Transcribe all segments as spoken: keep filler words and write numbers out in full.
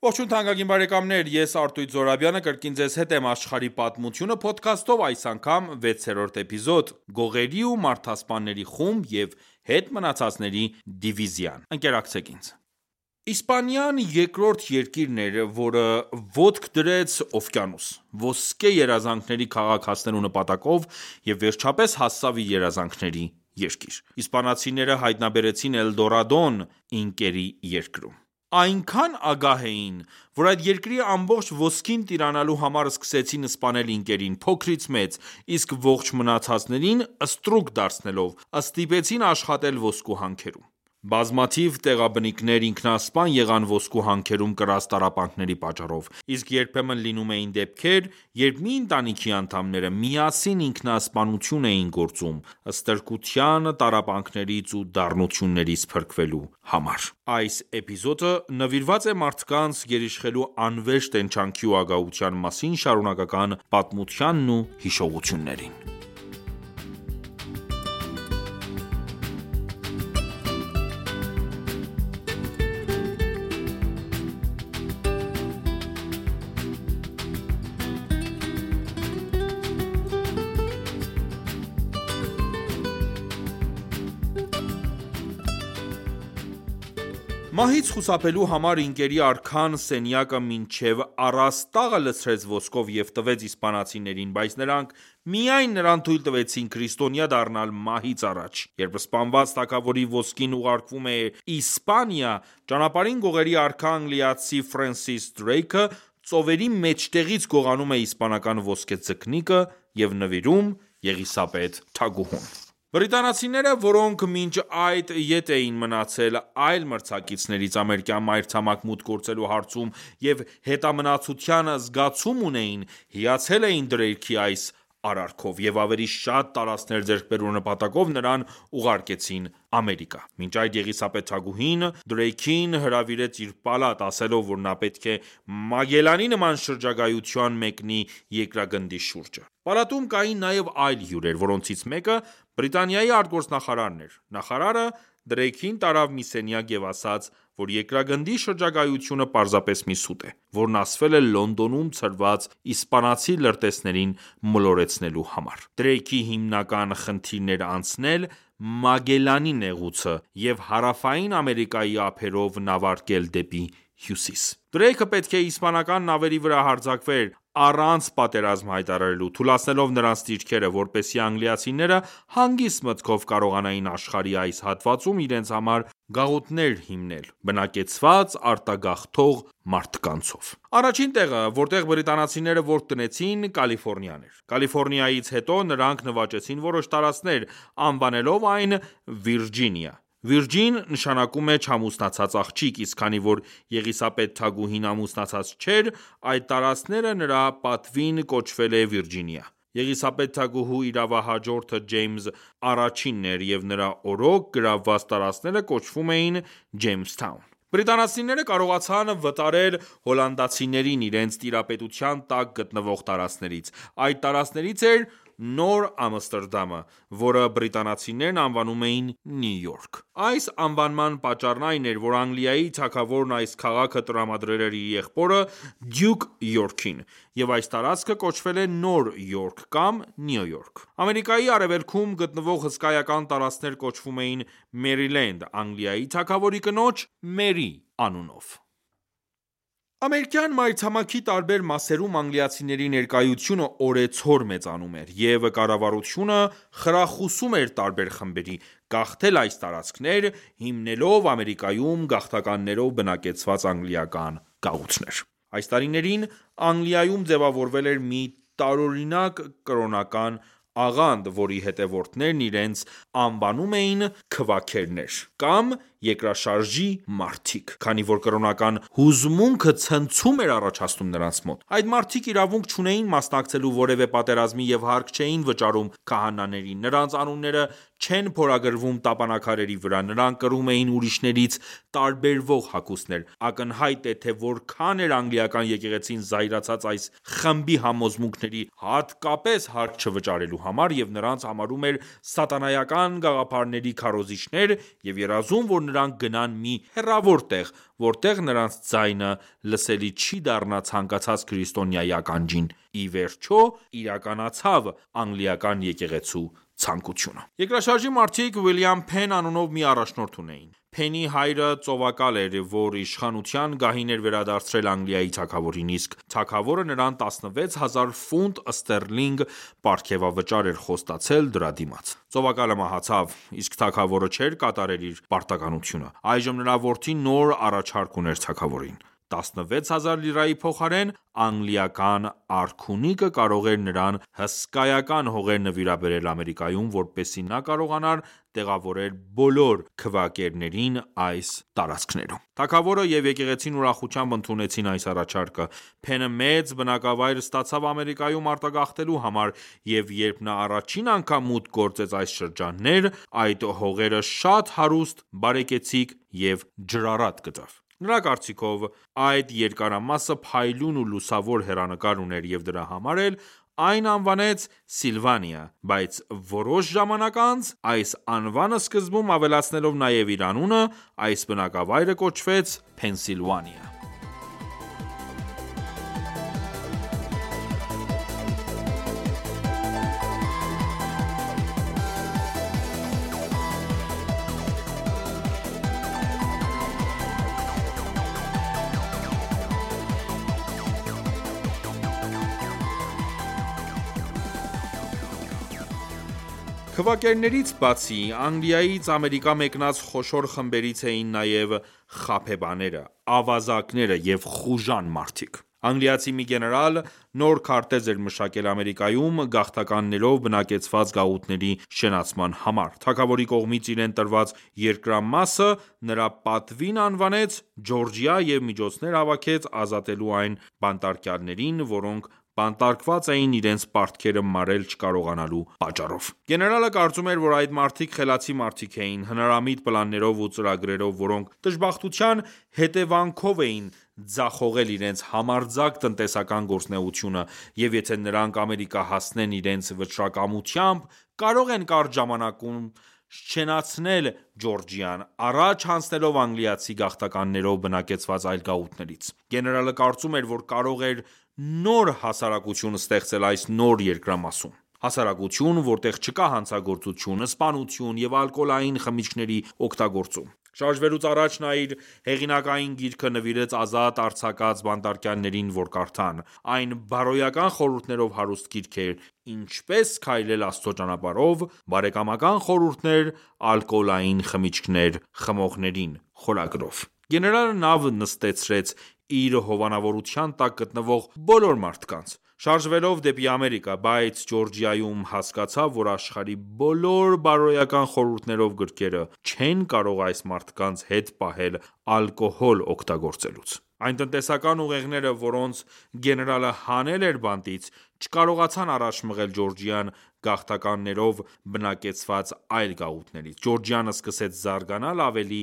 Ողջույն թանկագին բարեկամներ, ես Արտույտ Զոհրաբյանը կրկին ձեզ հետ եմ աշխարհի պատմությունը փոդքասթով, այս անգամ վեցերորդ էպիզոդ՝ Գողերի ու մարդասպանների խումբ և հետ մնացածների դիվիզիան: Ընկերակցեք ինձ: Իսպանիան երկրորդ երկիրն էր, որը ոտք դրեց օվկիանոս՝ ոսկե երազանքների քաղաք հասնելու նպատակով և վերջապես հասավ իր երազանքների երկիր: Իսպանացիները հայտնաբերեցին Էլդորադոն ինկերի երկրում: Այնքան ագահ էին, որ այդ երկրի ամբողջ ոսկին տիրանալու համար սկսեցին սպանել ինկերին փոքրից մեծ, իսկ ողջ մնացածներին ստրուկ դարձնելով, ստիպեցին աշխատել ոսկու հանքերում: Բազմաթիվ տեղաբնիկներ ինքնասպան եղան ոսկու հանքերում կրած տառապանքների պատճառով, իսկ երբեմն լինում էին դեպքեր, երբ մի ընտանիքի անդամները միասին ինքնասպանություն էին գործում՝ ստրկության, տառապանքներից ու դառնություններից փրկվելու համար: Այս էպիզոդը նվիրված է մարդկանց գերիշխելու անվերջ տենչանքի ու ագահության մասին շարունակական պատմությանն ու հիշողություններին: Մահից խուսափելու համար ինկերի արքան սենյակը մինչև առաստաղը լցրեց ոսկով և տվեց իսպանացիներին, բայց նրանք միայն նրան թույլ տվեցին քրիստոնյա դառնալ մահից առաջ: Երբ սպանված թագավորի ոսկին ուղարկվում է Իսպանիա, ճանապարհին Գողերի արքա անգլիացի Ֆրենսիս Դրեյքը ծովերի մեջտեղից գողանում է իսպանական ոսկե ձկնիկը և նվիրում Եղիսաբեթ թագուհուն: Բրիտանացիները, որոնք մինչ այդ ետ էին մնացել այլ մրցակիցներից ամերիկյան մայրցամաք մուտք գործելու հարցում և հետամնացության զգացում ունեին, հիացել էին Դրեյքի այս արարքով և ավելի շատ տարածքներ ձեռք բերելու նպատակով նրան ուղարկեցին Ամերիկա: Մինչ այդ Եղիսաբեթ թագուհին Դրեյքին հրավիրեց իր պալատ, ասելով, որ նա պետք է Մագելլանի նման շրջագայության մեկնի երկրագնդի շուրջը: Պալատում կային նաև այլ հյուրեր, որոնցից մեկը Բրիտանիայի արտգործնախարարն էր: Նախարարը Դրեյքին տարավ մի սենյակ և ասաց, որ երկրագնդի շրջագայությունը պարզապես մի սուտ է, որն ասվել է Լոնդոնում ցրված իսպանացի լրտեսներին մոլորեցնելու համար: Դրեյքի հիմնական խնդիրն էր անցնել Մագելլանի նեղուցը և Հարավային Ամերիկայի ափերով նավարկել դեպի հյուսիս: Դրեյքը պետք է իսպանական նավերի վրա հարձակվեր առանց պատերազմ հայտարարելու, թուլացնելով նրանց դիրքերը, որպեսզի անգլիացիները հանգիստ մտքով կարողանային աշխարհի այս հատվածում իրենց համար գաղութներ հիմնել՝ բնակեցված արտագաղթող մարդկանցով: Առաջին տեղը, որտեղ բրիտանացիները ոտք դնեցին, Կալիֆորնիան էր: Կալիֆորնիայից հետո նրանք նվաճեցին որոշ տարածքներ, անվանելով այն Վիրջինիա: Վիրջին նշանակում է չամուսնացած աղջիկ, իսկ քանի որ Եղիսաբեթ թագուհին ամուսնացած չէր, այդ տարածքները նրա պատվին կոչվել է Վիրջինիա: Եղիսաբեթ թագուհու իրավահաջորդը Ջեյմս առաջինն էր և նրա օրոք գրավված տարածքները կոչվում էին Ջեյմսթաուն: Բրիտանացիները կարողացան վտարել հոլանդացիներին իրենց տիրապետության տակ գտնվող տարածքներից: Այդ տարածքներից էր Նոր Ամստերդամը, որը բրիտանացիներն անվանում էին Նյու Յորք: Այս անվանման պատճառն այն էր, որ Անգլիայի թագավորն այս քաղաքը տրամադրել էր իր եղբորը Դյուկ Յորքին, և այս տարածքը կոչվել է Նոր Յորք կամ Նյու Յորք: Ամերիկայի արևելքում գտնվող հսկայական տարածքներ կոչվում էին Մերիլենդ՝ Անգլիայի թագավորի կնոջ Մերի անունով: Ամերիկյան մայրցամաքի տարբեր մասերում անգլիացիների ներկայությունը օրեցօր մեծանում էր, և կառավարությունը խրախուսում էր տարբեր խմբերի, գաղթել այս տարածքներ, հիմնելով Ամերիկայում գաղթականներով բնակեցված անգլիական գաղութներ: Այս տարիներին Անգլիայում ձևավորվել էր մի տարօրինակ կրոնական աղանդ, որի հետևորդներն իրենց անվանում էին Քվաքերներ կամ երկրաշարժի մարդիկ, քանի որ կրոնական հուզմունքը ցնցում էր առաջացնում նրանց մոտ: Այդ մարդիկ իրավունք չունեին մասնակցելու որևէ պատերազմի և հարկ չէին վճարում քահանաներին, նրանց անունները չեն փորագրվում տապանաքարերի վրա, նրանք կրում էին ուրիշներից տարբերվող հագուստներ: Ակնհայտ է, թե որքան էր անգլիական եկեղեցին զայրացած այս խմբի համոզմունքների հատկապես հարկ չվճարելու համար և նրանց համարում էր սատանայական գաղափարների քարոզիչներ և երազում, որ նրանք գնան մի հեռավոր տեղ, որտեղ նրանց ձայնը լսելի չի դառնա ցանկացած քրիստոնյայի ականջին: Ի վերջո, իրականացավ անգլիական եկեղեցու ցանկությունը: Երկրաշարժի մարդիկ Ուիլյամ Փեն անունով մի առաջնորդ ունեին: Փենի հայրը ծովակալ էր, որ իշխանության գահին էր վերադարձրել Անգլիայի թագավորին, իսկ թագավորը նրան տասնվեց հազար ֆունտ ստերլինգ պարգևավճար էր խոստացել դրա դիմաց: Ծովակալը մահացավ, իսկ թագավորը չէր կատարել իր պարտականությունը: Այժմ նրա որդին նոր առաջարկ ուներ թագավորին: տասնվեց հազար լիրայի փոխարեն անգլիական արքունիկը կարող էր նրան հսկայական հողեր նվիրաբերել Ամերիկայում, որպեսզի նա կարողանար տեղավորել բոլոր քվեակերներին այս տարածքներում: Թագավորը և եկեղեցին ուրախությամբ ընդունեցին այս առաջարկը: Փենը մեծ բնակավայր ստացավ Ամերիկայում արտագաղթելու համար, և երբ նա առաջին անգամ մուտք գործեց այս շրջաններ, այդ հողերը շատ հարուստ, բարեկեցիկ և ջրառատ գտավ: Նրա կարծիքով, այդ երկարամասը փայլուն ու լուսավոր հեռանկար ուներ և դրա համար էլ այն անվանեց Սիլվանիա, բայց որոշ ժամանակ անց, այս անվանը սկզբում ավելացնելով նաև իր անունը, այս բնակավայրը կոչվեց Փենսիլվանիա: Քվեակերներից բացի, Անգլիայից Ամերիկա մեկնած խոշոր խմբերից էին նաև խաբեբաները, ավազակները և խուժան մարդիկ: Անգլիացի մի գեներալ նոր քարտեզ էր մշակել Ամերիկայում գաղթականներով բնակեցված գաղութների շենացման համար: Թագավորի կողմից իրեն տրված երկրամասը նրա պատվին անվանեց Ջորջիա և միջոցներ հավաքեց ազատելու այն բանտարկյալներին, որոնք բանտարկված էին իրենց պարտքերը մարել չկարողանալու պատճառով: Գեներալը կարծում էր, որ այդ մարդիկ խելացի մարդիկ էին, հնարամիտ պլաններով ու ծրագրերով, որոնք դժբախտության հետևանքով էին ձախողել իրենց համարձակ տնտեսական գործունեությունը և եթե նրանք Ամերիկա հասնեն իրենց վճռակամությամբ, կարող են կարճ ժամանակում շենացնել Ջորջիան, առաջ հանձնելով անգլիացի գաղթականներով բնակեցված այլ գաղութներից: Գեներալը կարծում էր, որ կարող էր նոր հասարակություն ստեղծել այս նոր երկրամասում: Հասարակություն, որտեղ չկա հանցագործություն, սպանություն և ալկոհոլային խմիչքների օգտագործում: Շարժվելուց առաջ նա իր հեղինակային գիրքը նվիրեց ազատ արձակած բանտարկյալներին, որ կարդան: Այն բարոյական խորհուրդներով հարուստ գիրք էր «Ինչպես քայլել Աստծո ճանապարհով», «Բարեկամական խորհուրդներ ալկոհոլային խմիչքներ խմողներին» խորագրով: Գեներալը նավ նստեցրեց իր հովանավորության տակ գտնվող բոլոր մարդկանց: Շարժվելով դեպի Ամերիկա, բայց Ջորջիայում հասկացավ, որ աշխարհի բոլոր բարոյական խորհուրդներով գրքերը չեն կարող այս մարդկանց հետ պահել ալկոհոլ օգտագործելուց: Այն տնտեսական ուղեղները, որոնց գեներալը հանել էր բանտից, չկարողացան առաջ մղել Ջորջիան գաղթականներով բնակեցված այլ գաղութներից: Ջորջիան սկսեց զարգանալ ավելի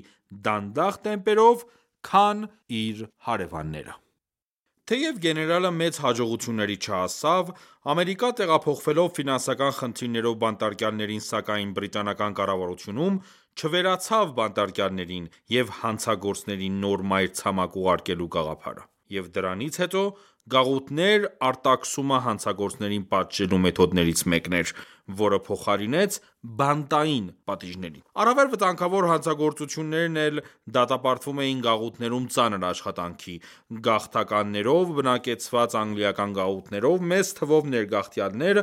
դանդաղ տեմպերով, քան իր հարևանները: Թեև գեներալը մեծ հաջողությունների չհասավ, Ամերիկա տեղափոխվելով ֆինանսական խնդիրներով բանտարկյալներին սակայն բրիտանական կառավարությունում չվերացավ բանտարկյալներին և հանցագործներին նոր մայրցամաք ուղարկելու գաղափարը: Եվ դրանից հետո գաղութներ արտաքսումը հանցագործներին պատժելու մեթոդներից մեկն էր, որը փոխարինեց բանտային պատիժներին: Առավել վտանգավոր հանցագործություններն էլ դատապարտվում էին գաղութներում ծանր աշխատանքի, գաղթականներով բնակեցված անգլիական գաղութներով մեծ թվով ներգաղթյալներ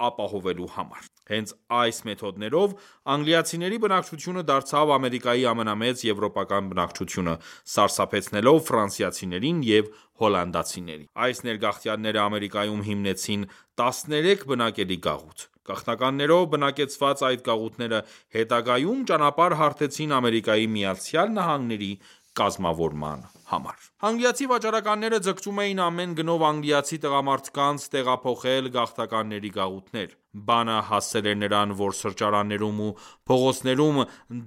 ապահովելու համար: Հենց այս մեթոդներով անգլիացիների բնակչությունը դարձավ Ամերիկայի ամենամեծ եվրոպական բնակչությունը, սարսափեցնելով ֆրանսիացիներին և հոլանդացիներին: Այս ներգաղթյալները Ամերիկայում հիմնեցին տասներեք բնակելի գաղութ: Գաղթականներով բնակեցված այդ գաղութները հետագայում ճանապարհ հարթեցին Ամերիկայի Միացյալ Նահանգների կազմավորման համար։ Անգլիացի վաճառականները ձգտում էին ամեն գնով անգլիացի տղամարդկանց տեղափոխել գաղթականների գաղութներ։ Բանը հասել էր նրան, որ սրճարաններում ու փողոցներում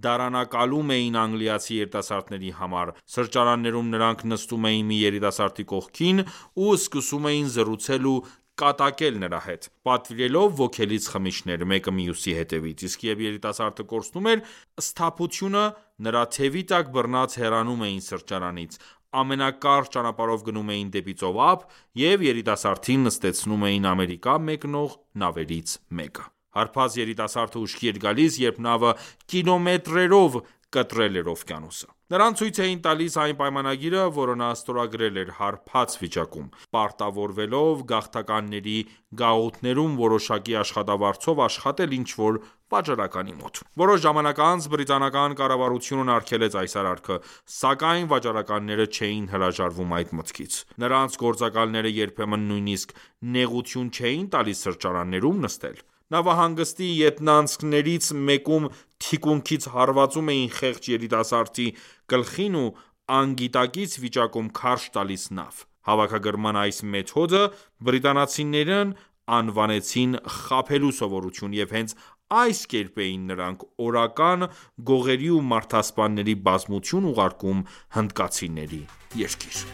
դարանակալում էին անգլիացի երիտասարդների համար։ Սրճարաններում նրանք նստում էին մի երիտասարդի կողքին ու սկսում էին զրուցել ու կատակել նրա հետ, պատվիրելով ոգելից խմիչքներ մեկը մյուսի հետևից, իսկ երբ երիտասարդը կորցնում էր սթափությունը, նրա թևի տակ բռնած հեռանում էին սրճարանից, ամենակարճ ճանապարհով գնում էին դեպի ծովափ և երիտասարդին նստեցնում էին Ամերիկա մեկնող նավերից մեկը։ Հարբած երիտասարդը ուշքի էր գալիս, երբ նավը կիլոմետրերով կտրել էր օվկիանոսը։ Նրան ցույց էին տալիս այն պայմանագիրը, որը նա ստորագրել էր հարբած վիճակում, պարտավորվելով գաղթականների գաղութներում որոշակի աշխատավարձով աշխատել ինչ-որ վաճառականի մոտ։ Որոշ ժամանակ անց բրիտանական կառավարությունն արգելեց այս արարքը, սակայն վաճառականները չէին հրաժարվում այդ մտքից։ Նրանց գործակալները երբեմն նույնիսկ նեղություն չէին տալիս սրճարաններում նստել։ Նավահանգստի ետնանցքներից մեկում թիկունքից հարվածում էին խեղճ երիտասարդի գլխին ու անգիտակից վիճակում քարշ տալիս նավ։ Հավաքագրման այս մեթոդը բրիտանացիներն անվանեցին խաբելու սովորություն և հենց այս կերպ էին նրանք օրական գողերի ու մարդասպանների բազմություն ուղարկում հնդկացիների երկիր։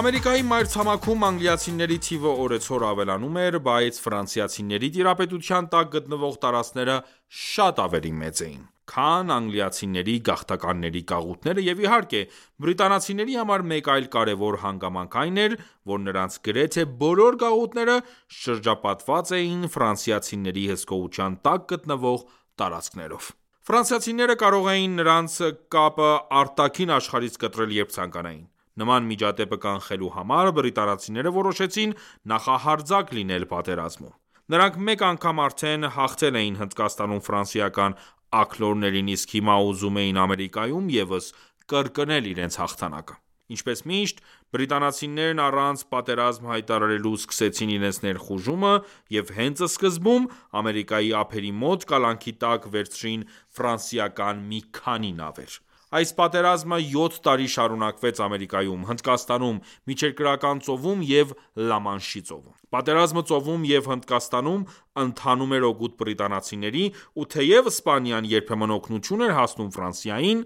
Ամերիկայի մայրցամաքում անգլիացիների թիվը օրեցօր ավելանում էր, բայց ֆրանսիացիների տիրապետության տակ գտնվող տարածքները շատ ավելի մեծ էին, քան անգլիացիների գաղթականների գաղութները և իհարկե բրիտանացիների համար մեկ այլ կարևոր հանգամանք այն էր, որ նրանց գրեթե բոլոր գաղութները շրջապատված էին ֆրանսիացիների հսկողության տակ գտնվող տարածքներով։ Ֆրանսիացիները կարող էին նրանց կապը արտաքին աշխարհից կտրել երբ ցանկանային։ Նման միջադեպը կանխելու համար բրիտանացիները որոշեցին նախահարձակ լինել պատերազմում։ Նրանք մեկ անգամ արդեն հաղթել էին Հնդկաստանում ֆրանսիական աքլորներին, իսկ հիմա ուզում էին Ամերիկայում ևս կրկնել իրենց հաղթանակը։ Ինչպես միշտ, բրիտանացիներն առանց պատերազմ հայտարարելու սկսեցին իրենց ներխուժումը և հենց սկզբում Ամերիկայի ափերի մոտ կալանքի տակ վերցրին ֆրանսիական մի քանի նավեր։ Այս պատերազմը յոթ տարի շարունակվեց Ամերիկայում, Հնդկաստանում, Միջերկրական ծովում և Լամանշի ծովում։ Պատերազմը ծովում և Հնդկաստանում ընթանում էր օգուտ բրիտանացիների, ու թեև Իսպանիան երբեմն օգնություն էր հասնում Ֆրանսիային,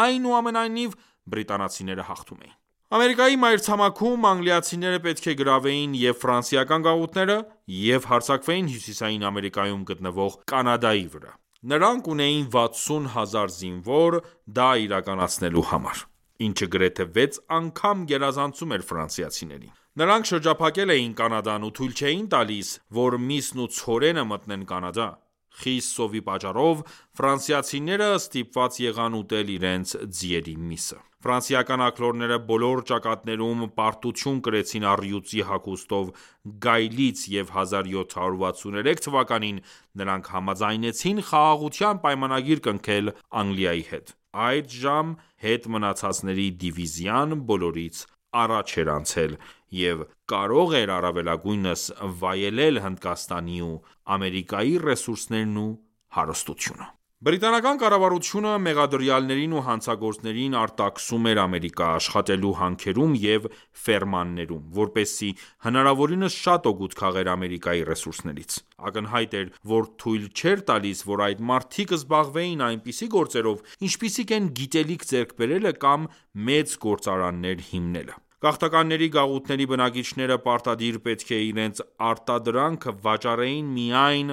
այնուամենայնիվ բրիտանացիները հաղթում էին։ Ամերիկայի մայրցամաքում անգլիացիները պետք է գրավեին և ֆրանսիական գաղութները և հարձակվեին Հյուսիսային Ամերիկայում գտնվող Կանադայի վրա։ Նրանք ունեին վաթսուն հազար զինվոր դա իրականացնելու համար, ինչը գրեթե վեց անգամ գերազանցում էր ֆրանսիացիներին։ Նրանք շրջափակել էին Կանադան ու թույլ չէին տալիս, որ միսն ու ցորենը մտնեն Կանադա։ Խիստ սովի պատճառով ֆրանսիացիները ստիպված եղան ուտել իրենց ձիերի միսը։ Ֆրանսիական աքլորները բոլոր ճակատներում պարտություն կրեցին առյուծի հագուստով գայլից և հազար յոթ հարյուր վաթսուներեք թվականին նրանք համաձայնեցին խաղաղության պայմանագիր կնքել Անգլիայի հետ։ Այդժամ հետ մնացածների դիվիզիան բոլորից առաջ էր անցել և կարող էր առավելագույնս վայելել Հնդկաստանի ու Ամերիկայի ռեսուրսներն ու հարստությունը։ Բրիտանական կառավարությունը մեղադրյալներին ու հանցագործներին արտաքսում էր Ամերիկա՝ աշխատելու հանքերում և ֆերմաններում, որպեսզի հնարավորինս շատ օգուտ քաղեր Ամերիկայի ռեսուրսներից։ Ակնհայտ էր, որ թույլ չէր տալիս, որ այդ մարդիկ զբաղվեին այնպիսի գործերով, ինչպիսիք են գիտելիք ձեռք բերելը կամ մեծ գործարաններ հիմնելը։ Գաղթականների գաղութների բնակիչները պարտադիր պետք է իրենց արտադրանքը վաճառեին միայն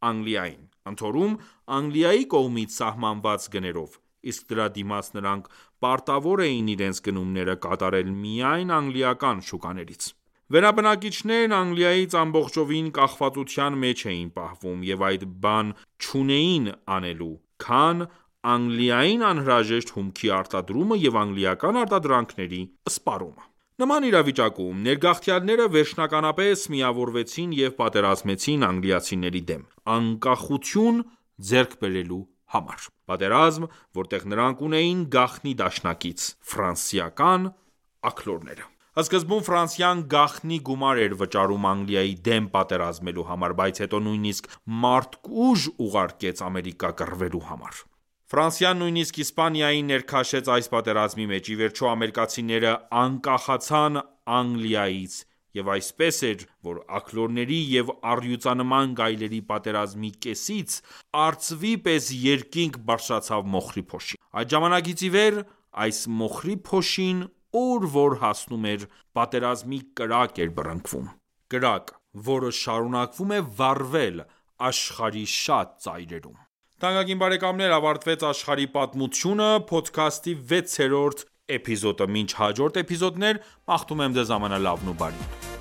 Անգլիային, ընդհորում Անգլիայի կողմից սահմանված գներով, իսկ դրա դիմաց նրանք պարտավոր էին իրենց գնումները կատարել միայն անգլիական շուկաներից։ Վերաբնակիչներն Անգլիայից ամբողջովին կախվածության մեջ էին պահվում և այլ բան չունեին անելու, քան Անգլիային անհրաժեշտ հումքի արտադրումը և անգլիական արտադրանքների սպառումը։ Նման իրավիճակում ներգաղթյալները վերջնականապես միավորվեցին և պատերազմեցին անգլիացիների դեմ՝ անկախություն ձեռք բերելու համար: Պատերազմ, որտեղ նրանք ունեին գաղտնի դաշնակից՝ ֆրանսիական աքլորները: Սկզբում Ֆրանսիան գաղտնի գումար էր վճարում Անգլիայի դեմ պատերազմելու համար, բայց հետո նույնիսկ մարդ-ուժ ուղարկեց Ամերիկա կռվելու համար: Ֆրանսիան նույնիսկ Իսպանիային ներքաշեց այս պատերազմի մեջ: Ի վերջո ամերիկացիները անկախացան Անգլիայից և այսպես էր, որ աքլորների և առյուծանման գայլերի պատերազմի կեսից արծվի պես երկինք բարձրացավ մոխրի փոշին: Այդ ժամանակից ի վեր այս մոխրի փոշին ուր որ հասնում էր պատերազմի կրակ էր բռնկվում: Կրակ, որը շարունակվում է վառվել աշխարհի շատ ծայրերում: Թանկագին բարեկամներ ավարտվեց «Աշխարհի պատմությունը» փոդքասթի վեցերորդ էպիզոդը: Մինչ հաջորդ էպիզոդներ մաղթում եմ ձեզ ամենալավն ու բարին: